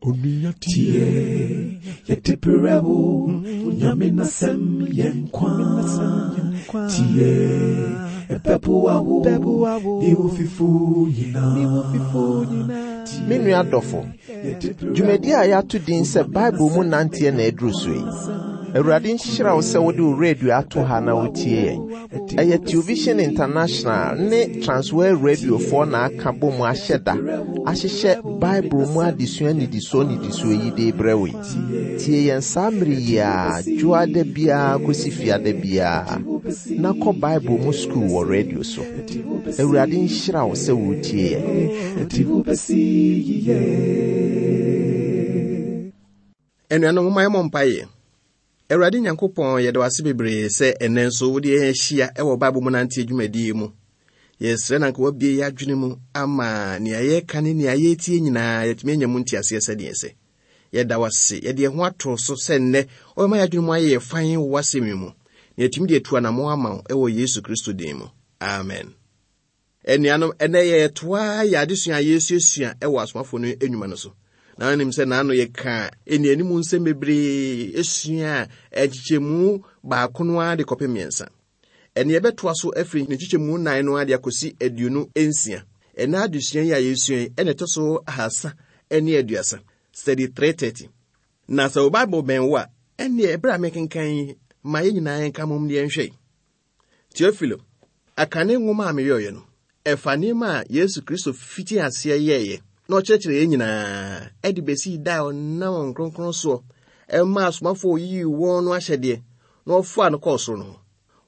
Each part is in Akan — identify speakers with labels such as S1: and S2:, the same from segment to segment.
S1: Tie, yɛde brɛ wo, Nyame n'asɛm yɛ nkwa. Tie, ɛbɛboa wo, ne wo fifo nyinaa.
S2: Me nua dɔfo, dwumadi a yɛato din sɛ Bible mu nanteɛ na aduru so yi. Awurade nhyira wo sɛ wode wo radio ato ha na wotie yɛn. Ɛyɛ Television International ne Transworld Radiofoɔ na aka bɔ mu ahyɛ da ahyehyɛ Bible mu adesua nnidisoɔ nnidisoɔ yi de rebrɛ wo yi. Tie yɛn saa mmere yi ara, dwoada biara kɔsi fiada biara, na kɔ Bible mu sukuu wɔ radio so. Awurade nhyira wo sɛ woretie yɛn.
S3: Anuanom, momma yɛmmɔ mpaeɛ. Awurade Nyankopɔn, yɛda wo ase bebree sɛ ɛnnɛ nso wode yɛn ahyia wɔ Bible mu nanteɛ dwumadie yi mu. Yɛsrɛ na anka woabue yɛn adwene mu ama nea yɛreka ne nea yɛretie nyinaa yɛatumi anya mu nteaseɛ sɛdeɛ ɛsɛ. Yɛda wo ase, yɛde yɛn ho ato so sɛ nnɛ wobɛma yɛn adwene mu ayɛ yɛ fann wɔ w'asɛm yi mu, na yɛatumi de atu anammɔn ama wo wɔ Yesu Kristo din mu. Amen. Anuanom, ɛnnɛ yɛretoa yɛn adesua a yɛresuasua wɔ asomafo no nnwuma no so. Na wonim sɛ n'ano yɛkaa nnianim nsɛm bebree sua nkyekyɛmu baako no ara de kɔpem mmiɛnsa. Ɛne yɛbɛtoa so afiri ne nkyekyɛmu nnan no ara de akɔsi 26. Ɛnɛ adesua yi a yɛresua yi ɛna ɛtɔ so 330, study 330. Na sɛ wo Bible bɛn wo a, ɛnneɛ ɛberɛ a mekenkan yi, ma yɛn nyinaa yɛnka mmom ne yɛnhwɛ. Teofilo, akane nwoma a meyɔeɛ no, ɛfa nneɛma a Yesu Kristo fitii aseɛ yɛeɛ na ɔkyerɛkyerɛ yɛn nyinaa de bɛsii da a ɔnam Honhom Kronkron soɔ maa asomafoɔ a ɔyii wɔn no ahyɛdeɛ na ɔfaa no kɔɔ soro no ho.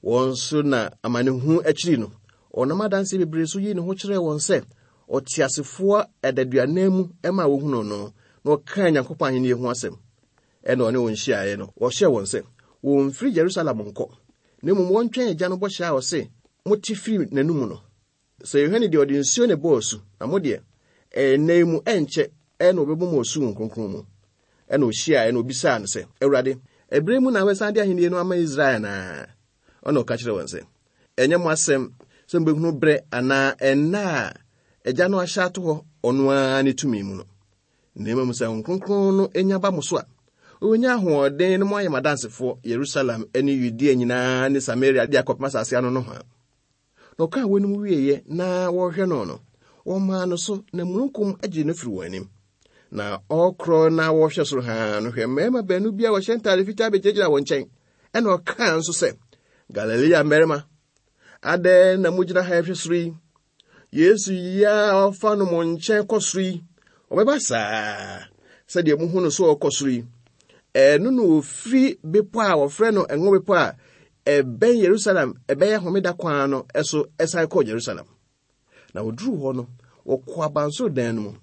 S3: Wɔn nso na amanehunu akyiri no, ɔnam adanseɛ bebree so yii ne ho kyerɛɛ wɔn sɛ ɔteasefoɔ adaduanan mu maa wɔhunuu no, na ɔkaa Nyankopɔn ahennie ho asɛm. Ɛnna ɔne wɔn hyiaeɛ no, ɔhyɛɛ wɔn sɛ wɔmfiri Yerusalem nkɔ, na mmom wɔntwɛn Agya no bɔhyɛ a ɔse mote firi n'anom no. Sɛ Yohane deɛ, ɔde nsuo na ɛbɔɔ asu, na mo deɛ, ɛnnɛ yi mu ɛnkyɛ na wɔbɛbɔ mo asu Honhom Kronkron mu. Ɛnna ɔhyiaeɛ na ɔbisaa no sɛ, Awurade, ɛberɛ yi mu na wobɛsan de ahennie no ama Israel anaa? Ɛnna ɔka kyerɛɛ wɔn sɛ, Ɛnyɛ mo asɛm sɛ mobɛhunu berɛ anaa ɛnna a Agya no ahyɛ ato hɔ ɔno ara ne tumi mu no. Na mmom sɛ Honhom Kronkron no nya ba mo so a, wobɛnya ahoɔden na moayɛ m'adansefoɔ Yerusalem ne Yudea nyinaa ne Samaria de akɔpem asase ano nohoa. Na ɔkaa weinom wieeɛ na wɔrehwɛ no no, wɔmaa no so na mununkum gyee no firi wɔn anim. Na ɔrekorɔ na wɔrehwɛ soro haa no, hwɛ mmarima baanu bi a wɔhyɛ ntaade fitaa bɛgyinagyina wɔn nkyɛn. Ɛna ɔkaa nso sɛ, Galilea mmarima, adɛn na mogyina ha rehwɛ soro yi? Yesu yi a ɔfa no mo nkyɛn kɔ soro yi, ɔbɛba saa sɛdeɛ mohu no so ɔkɔ soro yi. Ɛno na ɔfiri bepɔ a wɔfrɛ no Ngo Bepɔ a ɛbɛn Yerusalem ɛbɛyɛ homeda kwan no so ɛsan kɔɔ Yerusalem. Na wɔduruu hɔ no, wɔkɔɔ abansoro dan no mu.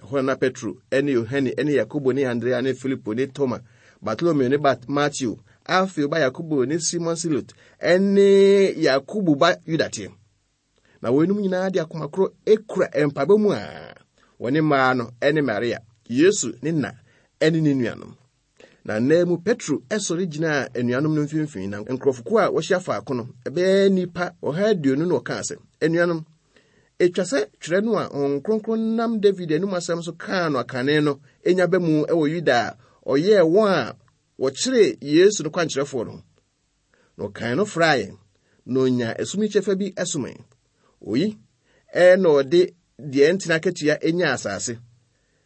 S3: Ɛhɔ na na Petro ne Yohane ne Yakobo ne Andrea ne Filipo ne Toma, Bartolomeo ne Mateo, Alfeo ba Yakobo ne Simon Silot ne Yakobo ba Yuda teɛ. Na wɔnom nyinaa de akoma koro kura mpaebɔ mu a wɔne mmaa no ne Maria, Yesu ne na ne ne nuanom. Na nna mu Petro sɔre gyinaa anuanom no mfimfini, na nkurɔfokuo a wɔahyia faako no, ɛbɛyɛ nnipa 120 na ɔkaa sɛ, Anuanom, etwa sɛ twerɛ no a Honhom Kronkron nam David anom asɛm so kaa no akane no nya ba mu wɔ Yuda a ɔyɛɛ wɔn a wɔkyeree Yesu no kwankyerɛfoɔ no ho. Na ɔkan no fraa yɛn, na onyaa ɛsom yi kyɛfa bi somee. Oyi na ɔde deɛ ɛntene akatua nyaa asase,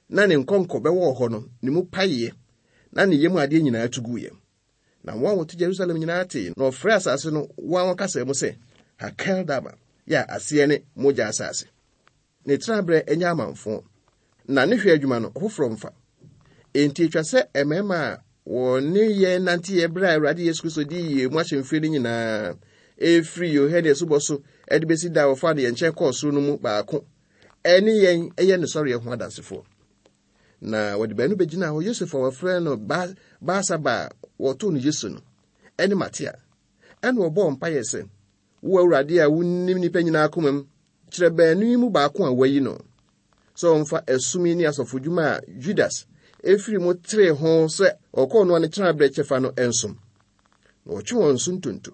S3: na ne nkɔnkɔ bɛwɔɔ hɔ no, ne mu paeɛ, na ne yam adeɛ nyinaa tu guiɛ. Na wɔn a wɔte Yerusalem nyinaa tee, na wɔfrɛɛ asase no wɔn wɔn kasa mu sɛ Hakeldama, yɛ a aseɛ ne mogya asase. Ne tenaberɛ nyɛ amamfõ, na ne hwɛ adwuma no, ɔfoforɔ mfa. Enti ɛtwa sɛ mmarima a wɔne yɛn nanteeɛ berɛ a Awurade Yesu Kristo dii yɛn mu ahyɛmfire no nyinaa, ɛfiri Yohane asubɔ so de bɛsi da a wɔfaa no yɛn nkyɛn kɔɔ soro no mu baako ne yɛn yɛ ne sɔreɛ ho adansefoɔ. Na wɔde baanu bɛgyinaa hɔ, Yosef a wɔfrɛ no Barsaba a wɔtoo no Yesu no, ne Matia. Ɛna wɔbɔɔ mpaeɛ sɛ, Wo Awurade a wunim nnipa nyinaa komam, kyerɛ baanu yi mu baako a woayi no sɛ ɔmfa ɛsom yi ne asɔfodwuma a Judas efiri mu teree ho sɛ ɔkɔɔ noa ne tenaberɛ kyɛfa no nsom. Na wɔtwe wɔn so ntonto,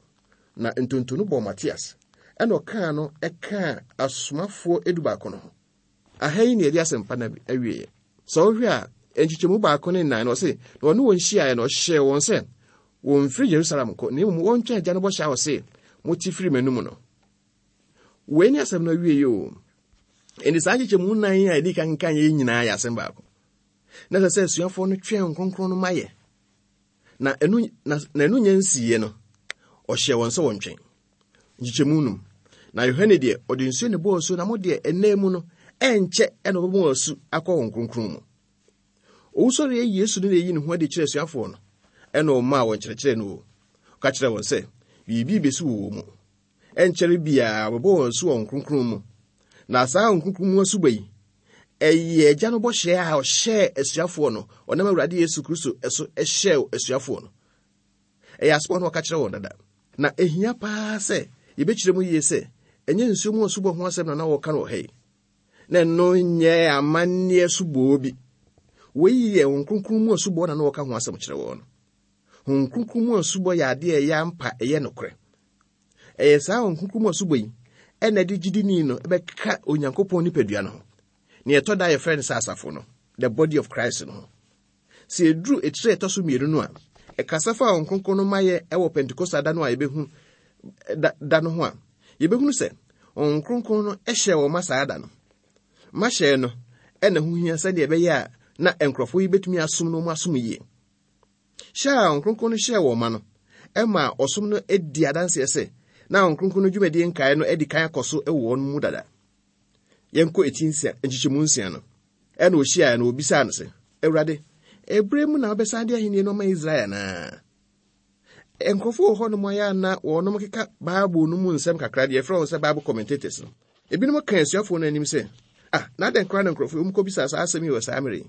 S3: na ntonto no bɔɔ Matias, ɛna ɔkaa no ɛkaa asomafoɔ edubaako no ho. Aha yi na yɛde asɛmpa no awieɛ. Sɛ wohwɛ a, nkyekyɛmu baako ne nnan no, ɔse, Na ɔne wɔn hyiaeɛ no, ɔhyɛɛ wɔn sɛ wɔmfiri Yerusalem nkɔ, na mmom wɔntwɛn Agya no bɔhyɛ a ɔse, Mote firi m'anom no. Wei ne asɛm no awiei o. Enti saa nkyekyɛmu nnan yi a yɛdi kan kenkan yɛ nyinaa yɛ asɛm baako. Na ɛsɛ sɛ asuafoɔ no twɛn kronkron no ma yɛ. Na ɛno na ɛno nyɛ nsiiɛ no, ɔhyɛɛ wɔn sɛ wɔntwɛn. Nkyekyɛmu num. Na Yohane deɛ, ɔde nsuo na ɛbɔɔ asu, na mo deɛ, ɛnna mu no, ɛnkyɛ ɛna ɔbɛbɔ wɔn asu akɔ wɔn kronkron mu. Owusɔreɛ Yesu no na ɛyi ne ho adi kyerɛ asuafoɔ no, ɛna ɔmaa wɔn kyerɛkyerɛ no o. Ɔka kyerɛ wɔn sɛ, biribi bɛsi wɔ wɔn mu. Ɛnkyɛre biara wɔbɛbɔ wɔn asu wɔ Honhom Kronkron mu. Na saa Honhom Kronkron mu asubɔ yi, ɛyɛ Agya no bɔhyɛ a ɔhyɛɛ asuafoɔ no, ɔnam Awurade Yesu Kristo so hyɛɛ asuafoɔ no. Ɛyɛ asɛm a na ɔka kyerɛ wɔn dada. Na ehia paa sɛ yɛbɛkyerɛ mu yie sɛ ɛnyɛ nsuo mu asubɔ ho asɛm na na wɔreka no wɔ ha yi. Na ɛno nyɛ amanneɛ asubɔ bi. Wei yɛ Honhom Kronkron mu asubɔ na na wɔka ho asɛm kyerɛ wɔn no. Honhom Kronkron mu asubɔ yɛ adeɛ a ɛyɛ ampa, ɛyɛ nokorɛ. Ɛyɛ saa Honhom Kronkron mu asubɔ yi ɛna ɛde gyidini no bɛka Onyankopɔn nipadua no ho. Nea ɛtɔ da a yɛfrɛ no sɛ asafo no, the body of Christ no ho. Sɛ ɛduru etire a ɛtɔ so mmienu no a, ɛkasa fa Honhom Kronkron no mayɛ ɛwɔ Pentekoste da no a yɛbɛhu da, da no ho a, yɛbɛhunu sɛ Honhom Kronkron no hyɛɛ wɔn ma saa da no. Mahyɛɛ no ɛna ho hia sɛdeɛ ɛbɛyɛ a na nkurɔfoɔ yi bɛtumi asom no wɔn asom yie. Hyɛ a Honhom Kronkron no hyɛɛ wɔn ma no maa ɔsom no di adanseɛ sɛ na Honhom Kronkron no dwumadie nkaeɛ no adi kan akɔ so wɔ wɔn mu dada. Yɛnkɔ eti nsia, nkyekyɛmu nsia no. Ɛna ɔhyiaeɛ no, ɔbisaa no sɛ, Awurade, ɛberɛ mu na wobɛsan de ahennie no ama Israel anaa? Nkurɔfoɔ wɔ hɔnom ayɛ a na wɔnom keka Bible no mu nsɛm kakra deɛ yɛfrɛ wɔn sɛ Bible commentators no. Ebinom ka asuafoɔ no anim sɛ, ah, na adɛn koraa na nkurɔfoɔ yi wɔkɔbisaa saa asɛm yi wɔ saa mmerɛ yi?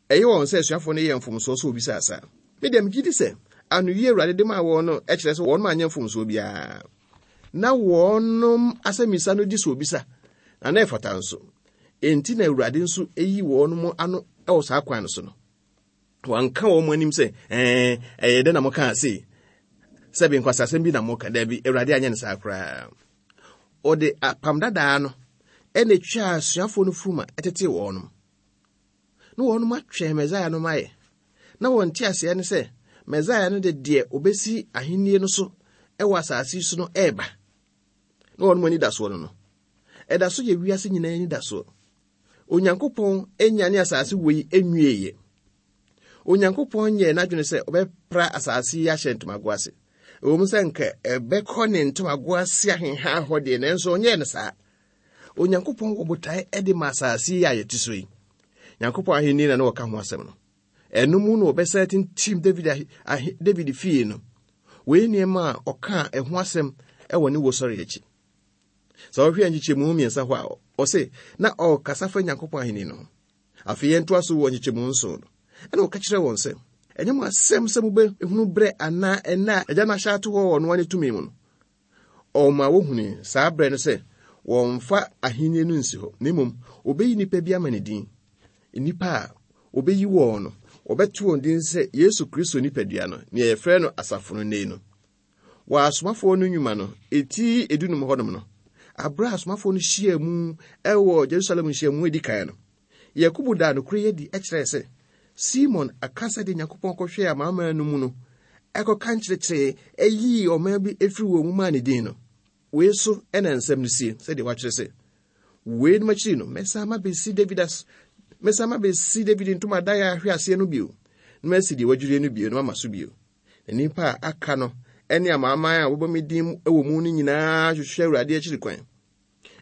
S3: Ɛyɛ wɔn sɛ asuafoɔ no yɛɛ mfomsoɔ sɛ wɔbisaa saa. Me deɛ, megye di sɛ anoyie a Awurade de maa wɔn no kyerɛ sɛ wɔnom anyɛ mfomsoɔ biara. Na wɔnom asɛmmisa no gye sɛ wɔbisa, na na ɛfata nso. Enti na Awurade nso yi wɔnom ano wɔ saa kwan no so no. Wanka wɔn anim sɛ, ɛɛ, ɛyɛ dɛ na mokaa sei. Sɛbe nkwasasɛm bi na moka. Daabi, Awurade anyɛ no saa koraa. Ɔde apam dadaa no ɛna etwaa asuafoɔ no furuma ɛtetee wɔnom. Na wɔnom atwɛn Mesaia no mayɛ. Na wɔn nteaseɛ ne sɛ Mesaia no de deɛ ɔbɛsi ahennie no so wɔ asase yi so no ɛreba. Na wɔnom anidasoɔ no no, ɛda so yɛ wiase nyinaa anidasoɔ. Onyankopɔn nyane asase wei nwieeɛ. Onyankopɔn nyɛɛ n'adwene sɛ ɔbɛpra asase yi ahyɛ ntomago ase. Ɛwom sɛ nka ɛbɛkɔ ne ntomago ase ahenha hɔ deɛ, nanso ɔnyɛɛ no saa. Onyankopɔn wɔ botae de ma asase yi a yɛte so yi. Nyankopɔn ahenni na na wɔka ho asɛm no. Ɛno mu na wɔbɛsan atintim David, ahe, David fie no. Wei nneɛma a ɔkaa ɛho asɛm wɔ ne wusɔre akyi. Sɛ wɔhwɛ nkyekyɛmu mmiɛnsa hɔ a, ɔse na ɔrekasa fa Nyankopɔn ahenni no ho. Afei yɛntoa so wɔ nkyekyɛmu nson no. Ɛna ɔka kyerɛ wɔn sɛ, ɛnyɛ mo asɛm sɛ mobɛhunu berɛ anaa ɛnna a Agya no ahyɛ ato hɔ wɔ ɔno ara ne tumi mu no. Ɔma wohunuu saa berɛ no sɛ wɔmfa ahennie no nsi hɔ, na mmom wɔbɛyi nnipa bi ama ne din. Nnipa a wɔbɛyi wɔn no, wɔbɛto wɔn din sɛ Yesu Kristo nipadua no, nea yɛfrɛ no asafo no nnɛ yi no. Wɔ asomafoɔ no nnwuma no, eti edunum hɔnom no, aberɛ a asomafoɔ no hyiaa mu wɔ Jerusalem nhyiamu a edi kan no, Yakobo daa nokorɛ yi adi kyerɛɛ sɛ Simon aka sɛdeɛ Nyankopɔn kɔhwɛɛ amanaman no mu no ɛkɔka nkyerɛkyerɛɛ ɛyii ɔman bi ɛfiri wɔn mu maa ne din no. Wei so ɛna nsɛm no sie sɛdeɛ wɔakyerɛ sɛ, Weinom akyiri no, mɛsan mabɛsi David as mɛsan mabɛsi David ntomadan a ahwe aseɛ no bio, na masi deɛ wadwirie no bio na mama so bio. Na nnipa a aka no ne amanaman a wɔbɔ me din wɔ mu no nyinaa hwehwɛ Awurade akyiri kwan.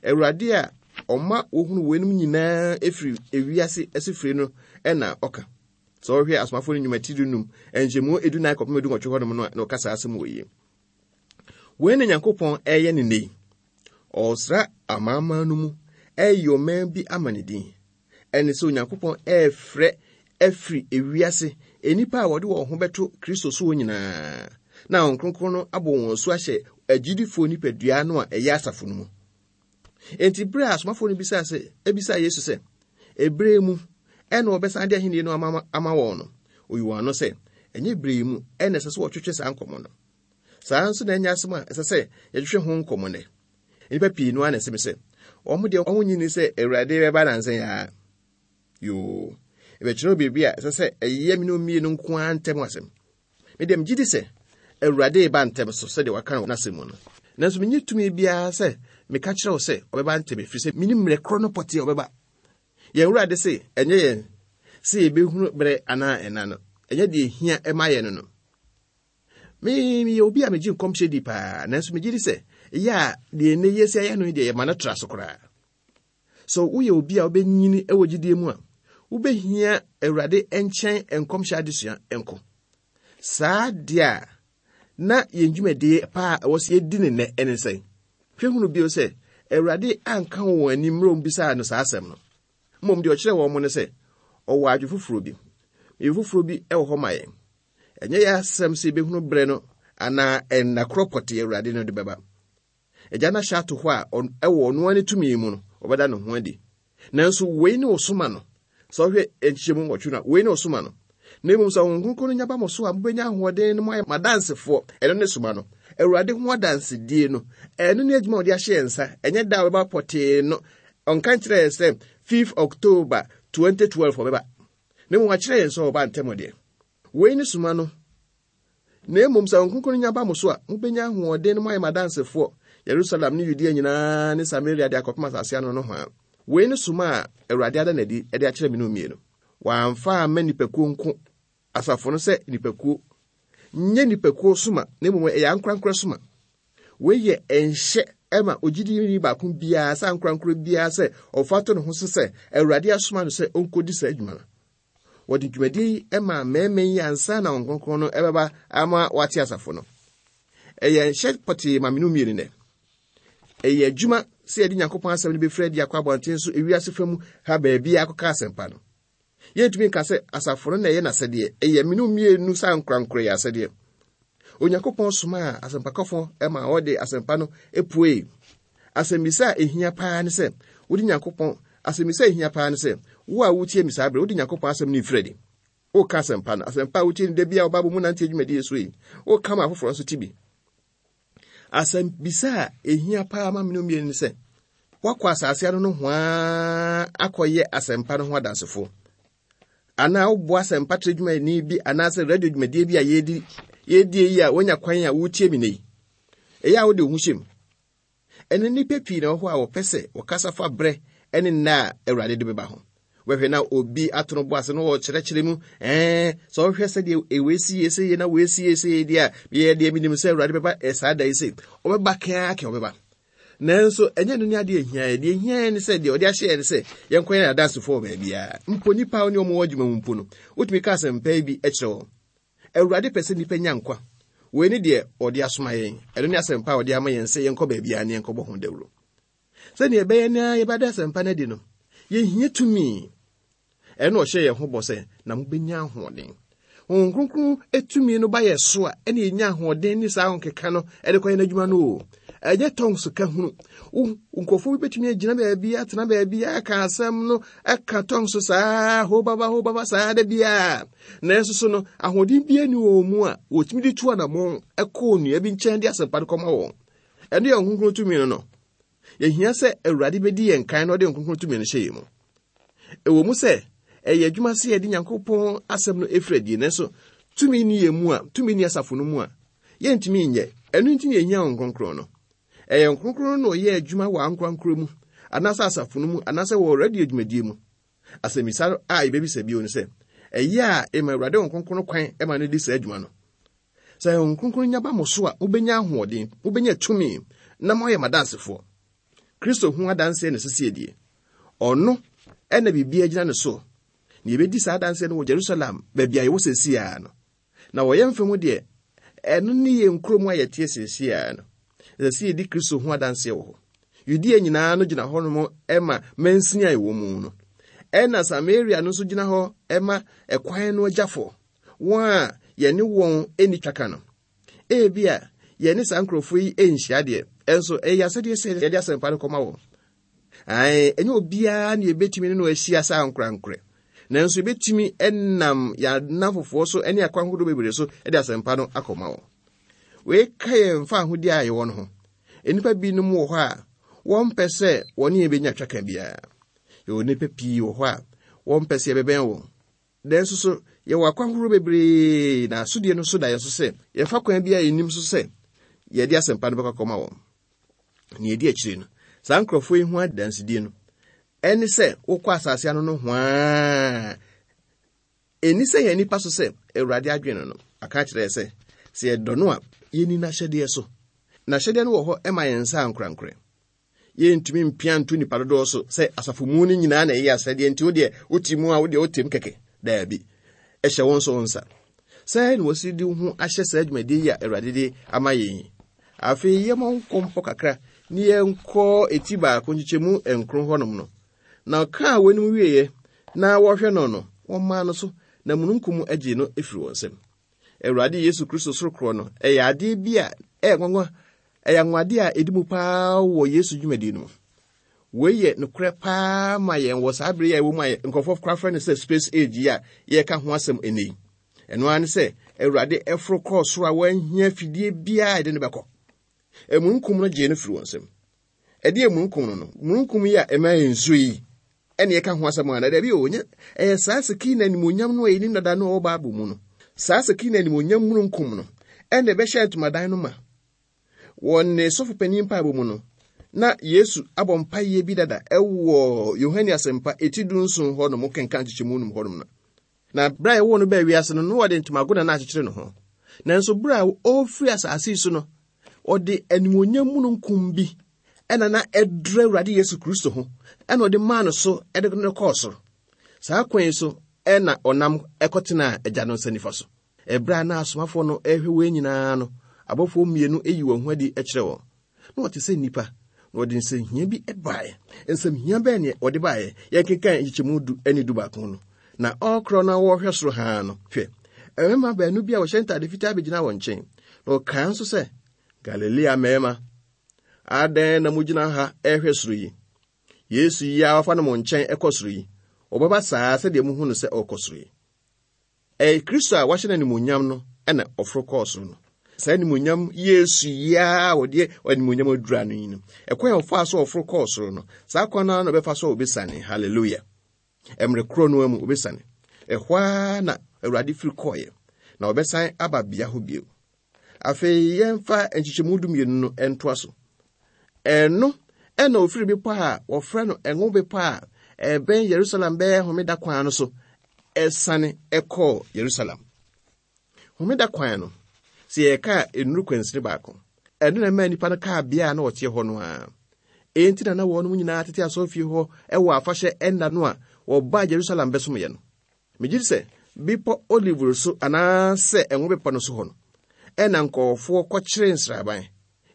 S3: Awurade a ɔma wohunu weinom nyinaa firi ewiase asifire no na ɔka. Sɛ ɔhwɛ asomafo no nnwuma ti dunum, nkyɛmu edunan kɔpem edunwɔtwe hɔnom no a, na ɔka saa asɛm wɔ yi. Wei na Nyankopɔn ɛreyɛ ne nnɛ yi. Ɔresra amanaman no mu ɛreyi ɔman bi ama ne din. Ɛne sɛ Onyankopɔn ɛrefrɛ afiri ewiase nnipa a wɔde wɔn ho bɛto Kristo soɔ nyinaa, na Honhom Kronkron no abɔ wɔn asu ahyɛ agyidifoɔ nipadua no a ɛyɛ asafo no mu. Enti bere a asomafoɔ no bisaa sɛ, ebisaa Yesu sɛ, ebere mu ɛna wɔbɛsan de ahenni no ama, ama wɔn no, oyi wɔn ano sɛ, ɛnyɛ bere yi mu ɛna ɛsɛ sɛ wɔtwetwe saa nkɔmmɔ no. Saa nso na ɛnyɛ asɛm a ɛsɛ sɛ yɛtwetwe ho nkɔmmɔ nnɛ. Nnipa pii no ara na ɛsɛ me sɛ, wɔn deɛ wɔn nyi ni sɛ Awurade bɛba nansa yi ara. Yoo. Mebɛkyerɛ wo biribi a ɛsɛ sɛ ɛyɛ me ne wo mmienu nko ara ntam asɛm. Me deɛ megye di sɛ Awurade reba ntɛm so sɛdeɛ waka no wɔ n'asɛm mu no. Nanso menni tumi biara sɛ meka kyerɛ wo sɛ ɔbɛba ntɛm ɛfiri sɛ mennim mmerɛ korɔ no pɔtee a ɔbɛba. Yɛn Awurade se ɛnyɛ yɛn sɛ yɛbɛhunu berɛ anaa ɛna no, ɛnyɛ deɛ ɛhia ma yɛn no no. Me meyɛ obi a megye nkɔmhyɛ di paa, nanso megye di sɛ ɛyɛ a deɛ ɛnnɛ yi asi ayɛ no yi deɛ yɛma no tra so koraa. Sɛ woyɛ obi a wobɛnyini wɔ gyidie mu a, wobɛhia Awurade nkyɛn nkɔmhyɛ adesua nko. Saa deɛ a, na yɛn dwumadie paa a ɛwɔ sɛ yɛdi ne nnɛ ɛne sɛn? Hwɛ hunu bio sɛ, Awurade anka wɔn anim mmerɛ wɔbisaa no saa asɛm no. Mmom deɛ ɔkyerɛɛ wɔn ne sɛ, ɔwɔ adwe foforɔ bi. Biribi foforɔ bi wɔ hɔ ma yɛn. Ɛnyɛ yɛn asɛm sɛ yɛbɛhunu berɛ no anaa ɛnna korɔ pɔtee Awurade no de bɛba. Agya no ahyɛ ato hɔ a ɛwɔ ɔno ara ne tumi mu no, ɔbɛda ne ho adi. Nanso wei ne ɔsoma no. Sɛ wohwɛ nkyekyɛmu nwɔtwe no a, wei ne ɔsoma no. Na mmom sɛ Honhom Kronkron no nya ba mo so a, mobɛnya ahoɔden na moayɛ m'adansefoɔ. Ɛno ne soma no. Awurade ho adansedie no, ɛno ne adwuma a ɔde ahyɛ yɛn nsa. Ɛnyɛ da a ɔbɛba pɔtee no. Ɔnka nkyerɛ yɛn sɛ 5 October 2012 ɔbɛba. Na mmom wakyerɛ yɛn sɛ ɔba ntɛm deɛ. Wei ne soma no. Na mmom sɛ Honhom Kronkron no nya ba mo so a, mobɛnya ahoɔden na moayɛ m'adansefoɔ, Yerusalem ne Yudea nyinaa ne Samaria de akɔpem asase ano nohoa. Wei ne soma a Awurade ada no adi de akyerɛ me no mmienu. Wamfa amma nnipakuo nko, asafo no sɛ nnipakuo. Nyɛ nnipakuo soma, na mmom ɛyɛ ankorankorɛ soma. Wei yɛ nhyɛ ma ogyidini baako biara sɛ ankorankorɛ biara sɛ ɔfa to ne ho so sɛ Awurade asoma no sɛ ɔnkɔdi saa adwuma no. Wɔde dwumadie yi maa mmarima yi ansa na Honhom Kronkron no ɛbɛba ama wɔate asafo no. Ɛyɛ nhyɛ pɔtee ma mene mmienu nɛ. Ɛyɛ adwuma sɛ yɛde Nyankopɔn asɛm no bɛfiri adi akɔ abɔnten so ewiase fa mu ha baabi akɔka asɛmpa no. Yɛntumi nka sɛ asafo no na ɛyɛ n'asɛdeɛ. Ɛyɛ mene mmienu sɛ ankorankorɛ yɛ asɛdeɛ. Onyankopɔn somaa asɛmpakɔfo ma wɔde asɛmpa no puei. Asɛmmisa a ehia paa ne sɛ, wode Nyankopɔn Asɛmmisa a ehia paa ne sɛ, wo a wutie me saa bere, wode Nyankopɔn asɛm no refiri adi? Woreka asɛmpa no, asɛmpa a wutie no da biara wɔ Bible mu nante dwumadi so yi, woreka ma afoforo nso te bi? Asɛmmisa a ehia paa ma mene mmienu ne sɛ, woakɔ asase ano nohoa akɔyɛ asɛmpa no ho adansefo? Anaa woboa asɛmpa trɛ dwumayɛni bi anaasɛ radio dwumadie bi a yɛredi yɛredie yi a woanya kwan a woretie me nnɛ yi? Ɛyɛ a wode wo ho hyɛ mu? Ɛnnɛ nnipa pii na ɛwɔ hɔ a wɔpɛ sɛ wɔkasa fa berɛ ne nna a Awurade de bɛba ho. Wobɛhwɛ na obi ato no bo ase na ɔrekyerɛkyerɛ mu, ɛɛ, sɛ wohwɛ sɛdeɛ ewei si yie sɛ yie na wei si yie sɛ yie deɛ a, meyɛ deɛ menim sɛ Awurade bɛba saa da yi sei. Ɔbɛba kɛn ara kɛn ɔbɛba. Nanso ɛnyɛ no ne adeɛ ɛhia yɛ. Deɛ ɛhia yɛ ne sɛ deɛ ɔde ahyɛ yɛ ne sɛ yɛnkɔ yɛn adansefoɔ wɔ baabiara. Mpo nnipa a wɔne wɔn wɔ adwuma mu mpo no, wotumi ka asɛmpa yi bi kyerɛ wɔn. Awurade pɛ sɛ nnipa nya nkwa. Wei ne deɛ ɔde asoma yɛn. Ɛno ne asɛmpa a ɔde ama yɛn sɛ yɛnkɔ baabiara ne yɛnkɔbɔ ho dawuro. Sɛnea ɛbɛyɛ na yɛbɛda asɛmpa no adi no, yɛhia tumi. Ɛno ɔhyɛ yɛn ho bɔ sɛ, na mobɛnya ahoɔden. Honhom Kronkron tumi no ba yɛ so a, ɛne yɛnya ahoɔden ne saa ahokeka no de kɔyɛ n'adwuma no o. Ɛnyɛ tɔngs ka hunu. Wo nkurɔfoɔ bi bɛtumi agyina baabi, atena baabi, aka asɛm no, aka tɔngs saa, ho baba, ho baba saa da biara. Nanso so no, ahoɔden biara nni wɔn mu a wɔtumi de tu anammɔn kɔ onua bi nkyɛn de asɛmpa no kɔma wɔn. Ɛno yɛ Honhom Kronkron tumi no no. Yɛhia sɛ Awurade bɛdi yɛn kan na ɔde Honhom Kronkron tumi no hyɛ yɛn mu. Ɛwɔ mu sɛ ɛyɛ adwuma sɛ yɛde Nyankopɔn asɛm no ɛfiri adie, nanso tumi nni yɛn mu a, tumi nni asafo no mu a, yɛntumi nyɛ. Ɛno nti na yɛhia Honhom Kronkron no. Ɛyɛ Honhom Kronkron no na ɔyɛ adwuma wɔ ankorankoro mu, anaasɛ asafo no mu, anaasɛ wɔ radio dwumadie mu. Asɛmmisa a yebebisa bio ne sɛ, ɛyɛ a ema Awurade Honhom Kronkron no kwan ma no di saa adwuma no? Sɛ Honhom Kronkron nya ba mo so a, mubenya ahoɔden, mubenya tumi, na moayɛ m'adansefoɔ. Kristo ho adanseɛ na ɛsɛ sɛ yɛdie. Ɔno na biribiara gyina ne so. Na yɛbɛdi saa adanseɛ no wɔ Jerusalem, baabi a yɛwɔ seesei ara no. Na wɔ yɛn fam deɛ, ɛno ne yɛn kurom a yɛteɛ seesei ara no. Ɛsɛ sɛ yɛdi Kristo ho adanseɛ wɔ hɔ. Yudea nyinaa no gyina hɔnom ma mansini a ɛwɔ mu no. Ɛna Samaria no nso gyina hɔ ma ɛkwan no agyafoɔ, wɔn a yɛne wɔn nni twaka no. Ebia yɛne saa nkurɔfoɔ yi nhyia deɛ, ɛnso ɛyɛ asɛdeɛ sɛ yɛde asɛmpa no kɔma wɔn. Ae, ɛnyɛ obiara na yɛbɛtumi ne no ahyia saa ankorankorɛ. Nanso yɛbɛtumi nam yɛn nnamfofoɔ so ne akwan ahodoɔ bebree so de asɛmpa no akɔma wɔn. Wei ka yɛn mfa ahodie a yɛwɔ no ho. Nnipa binom wɔ hɔ a wɔmpɛ sɛ wɔne yɛn bɛnya twaka biara. Yɛwɔ nnipa pii wɔ hɔ a wɔmpɛ sɛ yɛbɛbɛn wɔn. Nanso so yɛwɔ akwan horow bebree na asodie no so da yɛn so sɛ yɛmfa kwan bi a yɛnim so sɛ yɛde asɛmpa no bɛkɔ akɔma wɔn. Nea ɛdi akyire no, saa nkurɔfoɔ yi ho adansedie no, ɛne sɛ wokɔ asase ano no hwaa. Ɛnni sɛ yɛn nipa so sɛ Awurade adwene no no. Aka akyerɛ yɛ sɛ, sɛ yɛdɔ no a, yɛnni n'ahyɛdeɛ so. N'ahyɛdeɛ no wɔ hɔ ma yɛn nsa ankorankorɛ. Yɛntumi mpia nto nnipa dodoɔ so sɛ asafo mu no nyinaa na ɛyɛ asɛdeɛ nti wo deɛ wote mu a wo deɛ wotem kɛkɛ. Daabi. Ɛhyɛ wo nso wo nsa. Sɛɛ na wɔsi de wo ho ahyɛ saa dwumadie yi a Awurade de ama yɛn yi. Afei yɛmmɔ nkɔmpɔ kakra ne yɛnkɔ eti baako nkyekyɛmu nkron hɔnom no. Na ɔkaa wɔn wieeɛ na wɔhwɛ no no, wɔmaa no so, na mununkum gyee no firi wɔn nsam. Awurade Yesu Kristo soro korɔ no, ɛyɛ adeɛ bi a ɛyɛ nwanwa, ɛyɛ anwanwadeɛ a ɛdi mu paa wɔ Yesu dwumadie no mu. Wei yɛ nokorɛ paa ma yɛn wɔ saa bere yi a ɛwɔ mu a nkurɔfoɔ koraa frɛ no sɛ space age yi a yɛreka ho asɛm ɛnnɛ yi. Ɛno ara ne sɛ Awurade ɛforo kɔɔ soro a wanhia fidie biara a ɛde no bɛkɔ. Amununkum no gyee no firi wɔn nsam. Ɛdeɛ amununkum no no, mununkum yi a ɛma yɛn nsuo yi, ɛne ɛka ho asɛm ana? Dabi o, nyɛ ɛyɛ saa Sekina animuonyam no a yɛnim dada no a ɛwɔ Bible mu no. Saa Sekina animuonyam mununkum no ɛna ɛbɛhyɛ ntomadan no ma. Wɔ ne sɔfo panin mpaebɔ mu no, na Yesu abɔ mpaeɛ bi dada ɛwɔ Yohane Asɛmpa eti dunson hɔ nom kenkan nkyekyɛmu num hɔ nom no. Na bere a yɛwoo no baa wiase no, na wɔde ntomago na na akyekyere ne ho. Nanso bere a ɔrefiri asase yi so no, ɔde animuonyam mununkum bi ɛna na ɛdura Awurade Yesu Kristo ho, ɛna ɔde maa no so ɛde no kɔɔ soro. Saa kwan yi so ɛna ɔnam ɛkɔtenaa Agya no nsa nifa so. Ɛberɛ a na asomafoɔ no rehwɛ wei nyinaa no, abɔfoɔ mmienu yi wɔn ho adi kyerɛ wɔn. Na wɔte sɛ nnipa, na wɔde nsɛmhia bi baeɛ. Nsɛmhia bɛn ne wɔde baeɛ? Yɛnkenkan nkyekyɛmu du ne du baako no. Na ɔrekorɔ na wɔrehwɛ soro haa no, hwɛ, mmarima baanu bi a wɔhyɛ ntade fitaa bɛgyina wɔn nkyɛn. Na wɔkaa nso sɛ, Galilea mmarima, adɛn na mogyina ha rehwɛ soro yi? Yesu yi a wɔafa no mo nkyɛn kɔ soro yi, ɔbɛba saa sɛdeɛ muhu no sɛ ɔrekɔ soro yi. Ɛyɛ Kristo a wɔahyɛ no animuonyam no na ɔforo kɔɔ soro no. Saa animuonyam Yesu yi ara a wɔde animuonyam adura no yi no, ɛkwan a ɔfaa so ɔforo kɔɔ soro no, saa kwan no ara na ɔbɛfa so a ɔbɛsiane. Hallelujah. Mmerɛ korɔ no ara mu ɔbɛsiane. Ɛhɔ ara na Awurade firi kɔɔeɛ, na ɔbɛsan aba bea hɔ bio. Afei yɛmfa nkyekyɛmu dumienu no ntoa so. Ɛno ɛna ofiri bepɔ a wɔfrɛ no Ngo Bepɔ a ɛbɛn Yerusalem bɛyɛ homeda kwan no so ɛsane ɛkɔɔ Yerusalem. Homeda kwan no, sɛ yɛka a nnuru kwansini baako. Ɛno na ɛmaa nnipa no kaa bea a na wɔteɛ hɔ no ara. Enti na na wɔnom nyinaa tete asɔrefie hɔ wɔ afahyɛ nna no a wɔbaa Yerusalem bɛsomyɛ no. Megye di sɛ Bepɔ Olive so anaasɛ Ngo Bepɔ no so hɔ no, ɛna nkurɔfoɔ kɔkyere nsraban,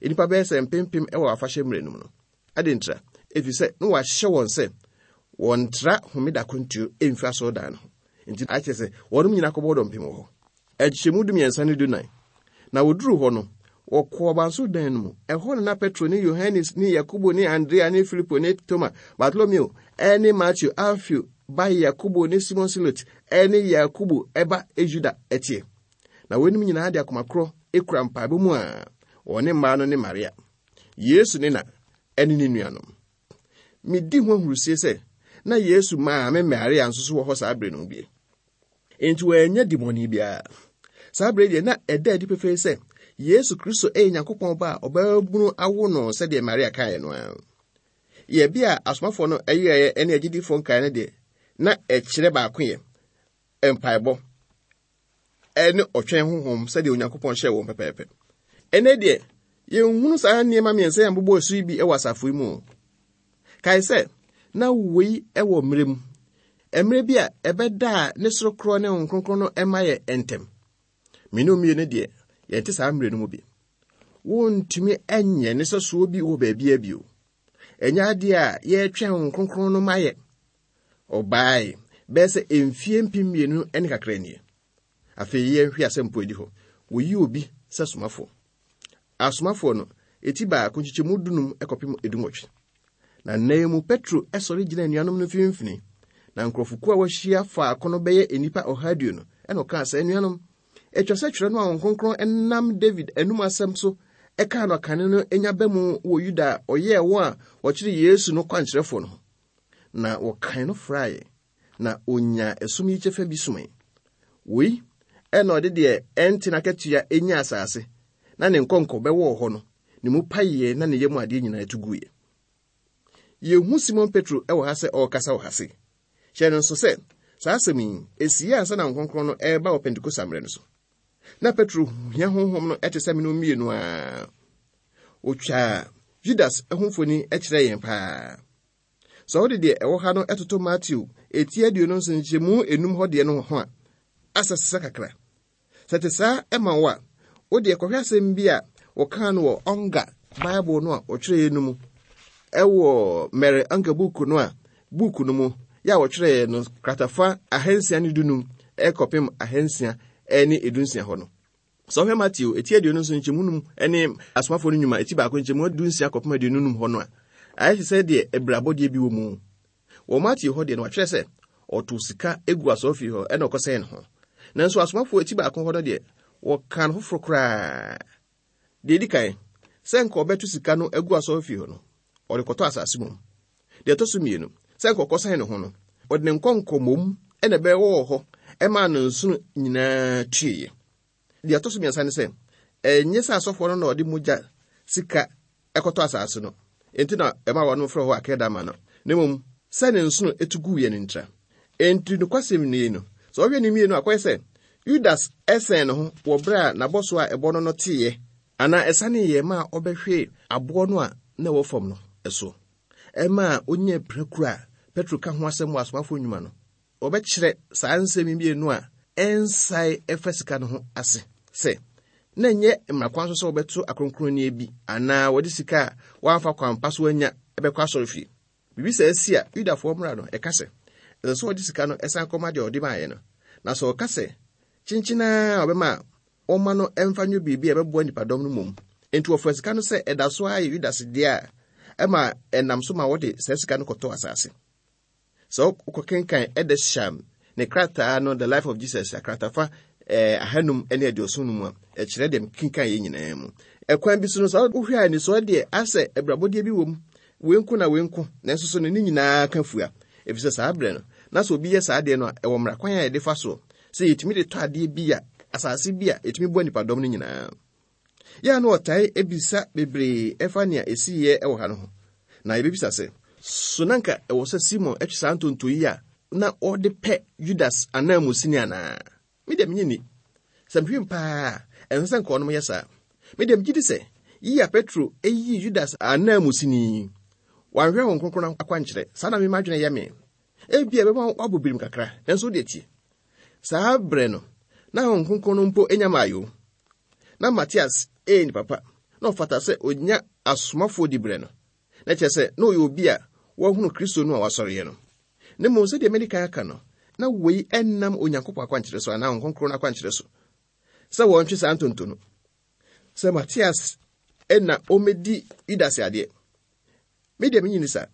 S3: nnipa bɛyɛ sɛ mpempem wɔ afahyɛ mmerɛ no mu no. Adɛn ntira? Ɛfiri sɛ na wɔahyɛ wɔn sɛ wɔntra homeda akwantuo mfiri asɔredan no ho. Nti akyerɛ sɛ wɔnom nyinaa kɔbɔɔ dɔmpem wɔ hɔ. Nkyekyɛmu dumiɛnsa ne dunan. Na wɔduruu hɔ no, wɔkɔɔ abansoro dan no mu. Ɛhɔ na na Petro ne Yohane ne Yakobo ne Andrea ne Filipo ne Toma, Bartolomeo ne Mateo, Alfeo ba Yakobo ne Simon Silot ne Yakobo ba Yuda teɛ. Na weinom nyinaa de akoma korɔ kura mpaebɔ mu a wɔne mmaa no ne Maria, Yesu ne na, ne ne nuanom. Medi ho ahurusie sɛ na Yesu maame Maria nso so wɔ hɔ saa bere no bi. Enti wɔannya dimmɔne biara. Saa bere deɛ na ɛda adi pefee sɛ Yesu Kristo yɛ Nyankopɔn Ba a ɔbaabunu awo no sɛdeɛ Maria kaeɛ no ara. Yɛbea a asomafoɔ no yɛeɛ ne agyidifoɔ nkaeɛ no deɛ, na ɛkyerɛ baakoyɛ, mpaebɔ, ne ɔtwɛn honhom sɛdeɛ Onyankopɔn hyɛɛ wɔn pɛpɛɛpɛ. Ɛnnɛ deɛ, yɛnhunu saa nneɛma mmiɛnsa yi a mobobɔɔ so yi bi wɔ asafo yi mu. Kae sɛ, na wei wɔ mmerɛ mu, mmerɛ bi a ɛbɛdaa ne soro korɔ ne Honhom Kronkron no mma yɛ ntɛm. Me ne mmienu deɛ, yɛnte saa mmerɛ no mu bi. Wontumi nyɛ ne sɛsoɔ bi wɔ baabiara bio. Ɛnyɛ adeɛ a yɛretwɛn Honhom Kronkron no ma yɛ. Ɔbaae bɛyɛ sɛ mfie 2000 ne kakra nie. Afei yɛnhwɛ asɛmpo edi hɔ. Wɔyi obi sɛ somafoɔ. Asomafoɔ no, eti baako nkyekyɛmu dunum kɔpem edunwɔtwe. Na nna yi mu Petro sɔre gyina anuanom no mfimfini, na nkurɔfokuo a wɔahyia faako no bɛyɛ nnipa 120, ɛna ɔkaa sɛ, Anuanom, ɛtwa sɛ twerɛ no a Honhom Kronkron nam David anum asɛm so kaa no akane no nya ba mu wɔ Yuda a ɔyɛɛ wɔn a wɔkyeree Yesu no kwankyerɛfoɔ no ho. Na wɔkan no fraeɛ. na onyaa ɛsom yi kyɛfa bi somee. Wei na ɔde deɛ ɛnte n'akatua nyaa asase, na ne nkɔnkɔ bɛwɔɔ hɔ no, ne mu paeɛ na ne yam adeɛ nyinaa tu guiɛ. Yɛhu Simon Petro wɔ ha sɛ ɔrekasa wɔ ha se. Hyɛ no nso sɛ, saa asɛm yi, ɛsii ansa na Honhom Kronkron no reba wɔ Pentekoste mmerɛ no so. Na Petro hia Honhom no te sɛ mene mmienu a. Ɔtwaa Judas ho mfoni kyerɛɛ yɛn paa. Sɛ wode deɛ ɛwɔ ha no toto Mateo eti 27 nkyɛmu enum hɔ deɛ no ho a, asɛ sesa kakra. Sɛ ɛte saa ma wo a, wo deɛ kɔhwɛ asɛm bi a wɔkaa no wɔ Unger Bible no a wɔtwerɛeɛ no mu ɛwɔ Mary Unger book no a book no mu yɛ a wɔtwerɛeɛ no kratafa 615 ɛkɔpem 616 hɔ no. Sɛ wohwɛ Mateo eti 27 nkyɛmu num ne Asomafoɔ no nnwuma eti baako nkyɛmu 16 kɔpem 25 hɔ no a, ayɛ te sɛ deɛ abirabɔdeɛ bi wɔ mu. Wɔ Mateo hɔ deɛ no wɔatwerɛ sɛ ɔtoo sika gu asɔrefie hɔ ɛna ɔkɔsɛn ne ho. Nanso asomafoɔ eti baako hɔ no deɛ wɔkaa no foforɔ koraa. Deɛ ɛdi kan, sɛ nka ɔbɛto sika no agu asɔrefie hɔ no, ɔde kɔtɔ asase mmom. Deɛ ɛtɔ so mmienu, sɛ nka ɔkɔsɛn ne ho no, ɔde ne nkɔnkɔ mmom na ɛbɛwɔɔ hɔ ɛmaa ne nsono nyinaa tueeɛ. Deɛ ɛtɔ so mmiɛnsa ne sɛ, ɛnyɛ sɛ asɔfoɔ no na ɔde mogya sika ɛkɔtɔ asase no, enti na ɛma wɔn frɛ hɔ Akeldama no, na mmom sɛ ne nsono etu guiɛ no ntira. Enti nokwasɛm nie no, sɛ ɔhwɛ ne mmienu akɔyɛ sɛ Yudas sɛn ne ho wɔ berɛ a n'abɔsoɔ a ɛbɔ no no teeɛ anaa ɛsaneeɛ maa ɔbɛhwee aboɔ no a na ɛwɔ fam no so, ɛmaa ɔnyaa pirakuro a Petro ka ho asɛm wɔ Asomafoɔ Nnwuma no. Wɔbɛkyerɛ saa nsɛm yi mmienu a ɛnsae ɛfa sika no ho ase sɛ, na ɛnyɛ mmara kwan so sɛ wɔbɛto akronkronneɛ bi anaa wɔde sika a wɔamfa kwan pa so anya bɛkɔ asɔrefie. Biribi saa si a, Yudafoɔ mmara no, ɛka sɛ, ɛsɛ sɛ wɔde sika no san kɔma deɛ ɔde maeɛ no. Na sɛ ɔka sɛ kyenkyen ara a ɔbɛma a, wɔmma no mfa nyɛ biribi a ɛbɛboa nnipadɔm no mmom. Enti wɔfaa sika no sɛ ɛda so ara yɛ Yudas dea a, ɛma ɛnam so ma wɔde saa sika no kɔtɔɔ asase. Sɛ wokɔkenkan Edersheim ne krataa no The Life of Jesus akratafa eh, 570 no mu a, ɛkyerɛ deɛ mekenkan yɛ nyinaa mu. Ɛkwan bi so no, sɛ wohwɛ a anisɔɔ deɛ asɛ abirabɔdeɛ bi wɔ mu, wei nko na wei nko, nanso so no ne nyinaa ka fua. Ɛfiri sɛ saa berɛ no, na sɛ obi yɛ saa adeɛ no a, ɛwɔ mmara kwan a yɛde fa soɔ sɛ yɛtumi de tɔ adeɛ bi a, asase bi a ɛtumi boa nnipadɔm no nyinaa. Yɛ a na ɔtae bisa bebree ɛfa nea esiiɛ wɔ ha no ho. Na yɛbɛbisa sɛ, so na anka ɛwɔ sɛ Simon twe saa ntonto yi a na ɔde pɛ Judas ananmusini anaa? Me deɛ menye nni. Sɛ mehwɛ mu paa a, ɛnsɛ sɛ nka ɔnom yɛ saa. Me deɛ megye di sɛ yi a Petro yii Judas ananmusini yi, wanhwɛ Honhom Kronkron akwankyerɛ. Saa na me m'adwene yɛ me. Ebia ɛbɛma woabɔ birim kakra, nanso wo deɛ tie. Saa berɛ no, na Honhom Kronkron no mpo nya mmaeɛ o. Na Matias yɛ nipa pa, na ɔfata sɛ onya asomafoɔ diberɛ no. Na kyerɛ sɛ, na ɔyɛ obi a wahunu Kristo no a wasɔreɛ no. Na mmom sɛdeɛ madi kan aka no, na wei nnam Onyankopɔn akwankyerɛ so anaa Honhom Kronkron no akwankyerɛ so sɛ wɔntwe saa ntonto no. Sɛ Matias na ɔmmɛdi Yudas adeɛ. Me deɛ menye ni saa.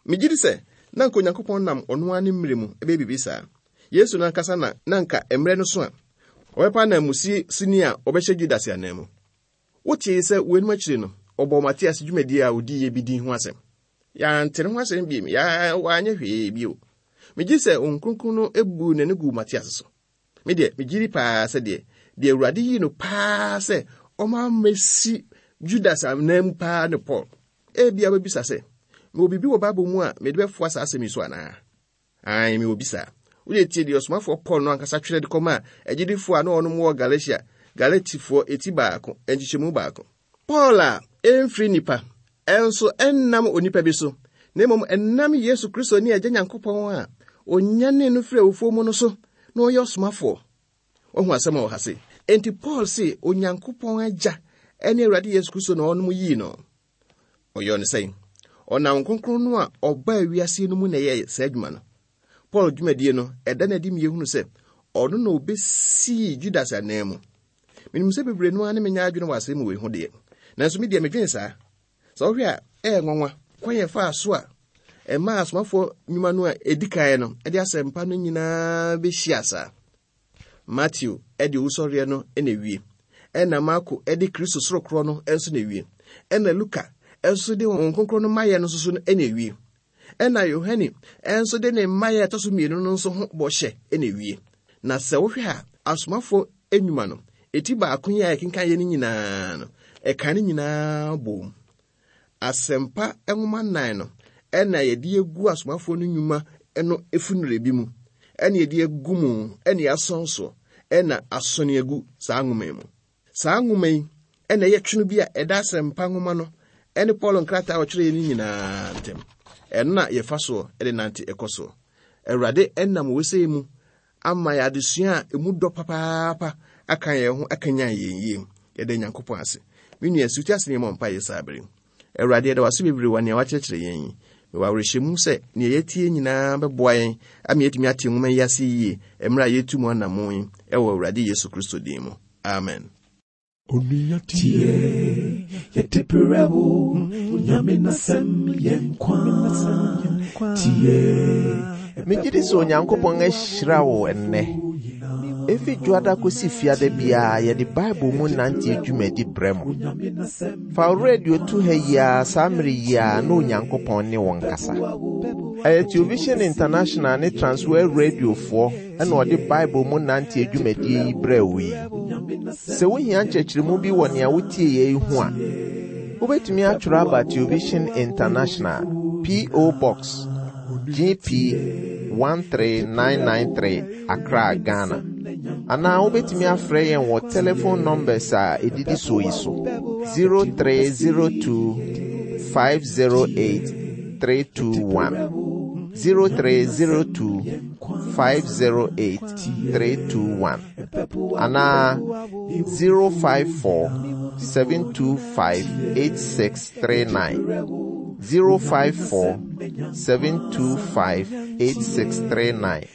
S3: Megye di sɛ na anka Onyankopɔn nam ɔno ara ne mmerɛ mu bɛyɛ biribi saa. Yesu no ankasa na na anka mmerɛ no so a ɔbɛpa ananmusi sini a ɔbɛhyɛ Judas ananmu. Wotee sɛ weinom akyiri no, ɔbɔɔ Matias dwumadie a ɔdiiɛ bi din ho asɛm. Yɛante ne ho asɛm bio, yɛ wanyɛ hwee bio. Megye di sɛ Honhom Kronkron no buu n'ani guu Matias so. Me deɛ, megye di paa sɛ deɛ, deɛ Awurade yii no paa sɛ ɔma mmɛsi Judas anan mu paa ne Paul. Ebia wobɛbisa sɛ, mewɔ biribi wɔ Bible mu a mede bɛfoa saa asɛm yi so anaa? Aane, mewɔ bi saa. Wode tie deɛ ɔsomafoɔ Paul no ankasa twerɛ de kɔmaa agyidifoɔ a na wɔnom wɔ Galatia, Galatifoɔ eti baako, nkyekyɛmu baako. Paul a ɛmfiri nnipa, nso ɛnnam onipa bi so, na mmom ɛnam Yesu Kristo ne Agya Nyankopɔn a onyanee no firi awufoɔ mu no so na ɔyɛ ɔsomafoɔ. Wahu asɛm a wɔ ha se, enti Paul se Onyankopɔn Agya ne Awurade Yesu Kristo na ɔnom yii no. Ɔyɛɔ no sɛn? Ɔnam Kronkron no a ɔbaa wiase no mu na ɛyɛɛ saa adwuma no. Paul dwumadie no, ɛda no adi ma yɛhunu sɛ ɔno na ɔbɛsii Judas ananmu. Menim sɛ bebree no ara ne menya adwene wɔ asɛm wei ho deɛ, nanso me deɛ medwene saa. Sɛ wohwɛ a, ɛyɛ nwanwa kwan yɛ faa so a ɛmaa asomafoɔ nnwuma no a ɛdi kan no de asɛmpa no nyinaa bɛhyia saa. Mateo de owusɔreɛ no na ewie, ɛna Marko de Kristo sorokorɔ no nso na ewie, ɛna Luka nso de Honhom Kronkron no mayɛ no nso so na ewie. Ɛna Yohane nso de ne mmaeɛ a ɛtɔ so mmienu no nso ho bɔhyɛ na ewie. Na sɛ wohwɛ a, asomafoɔ nnwuma no, eti baako yi a yɛkenkan yɛ no nyinaa no, ɛka ne nyinaa bom. Asɛmpa nwoma nnan no ɛna yɛde agu asomafoɔ no nnwuma no efunure bi mu, ɛna yɛde agu mu, ɛna yɛasɔn soɔ, ɛna asɔne agu saa nwoma yi mu. Saa nwoma yi ɛna ɛyɛ twono bi a ɛda asɛmpa nwoma no ɛne Paul nkrataa a ɔtwerɛeɛ no nyinaa ntam. Ɛno na yɛfa soɔ de nante ɛkɔ soɔ. Awurade ɛnam wei mu ama yɛ adesua a emu dɔ papaapa aka yɛn ho akanyan yɛn yie. Yɛda Nyankopɔn ase. Me nua, si wo ti ase na yɛmmɔ mpaeɛ saa bere yi. Awurade, yɛda wo ase bebree wɔ nea woakyerɛkyerɛ yɛn yi. Mewɔ awerɛhyɛmu sɛ nea yɛatie nyinaa bɛboa yɛn ama yɛatumi ate nwoma yi ase yie mmerɛ a yɛretu mu anammɔn yi wɔ Awurade Yesu Kristo din mu. Amen.
S1: Onua tie, yɛde brɛ wo, Onyame n'asɛm yɛ nkwa. Tie.
S2: Megye di sɛ Onyankopɔn ahyira wo ɛnnɛ. Efi dwoada kosi fiada biara yɛde Bible mu nante dwumadi brɛ mo. Fa wo radio to ha yi ara saa mmere yi ara na Onyankopɔn ne wo nkasa. Ɛyɛ Television International ne Transworld Radiofoɔ na ɔde Bible mu nante dwumadie yi brɛ wo yi. Sɛ wohia nkyerɛkyerɛmu bi wɔ nea wotieɛ yi ho a, wobɛtumi atwerɛ aba Television International, P.O. Box, GP 13993, Accra, Ghana. Anaa wobɛtumi afrɛ yɛn wɔ telephone numbers a ɛdidi soɔ yi so 0302 508 321 0302 508 321 anaa 054 725 8639 054 725 8639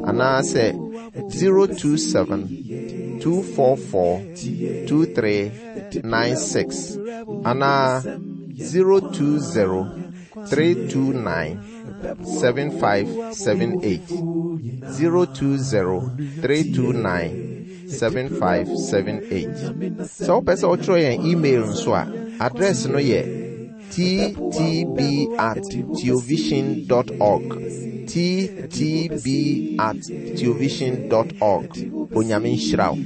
S2: anaasɛ 027 244 2396 anaa 020 329 7578 020 329 7578. Sɛ wopɛ sɛ wotwerɛ yɛn email nso a, address no yɛ ttb at theovision dot org ttb at theovision dot org. Onyame nhyira wo.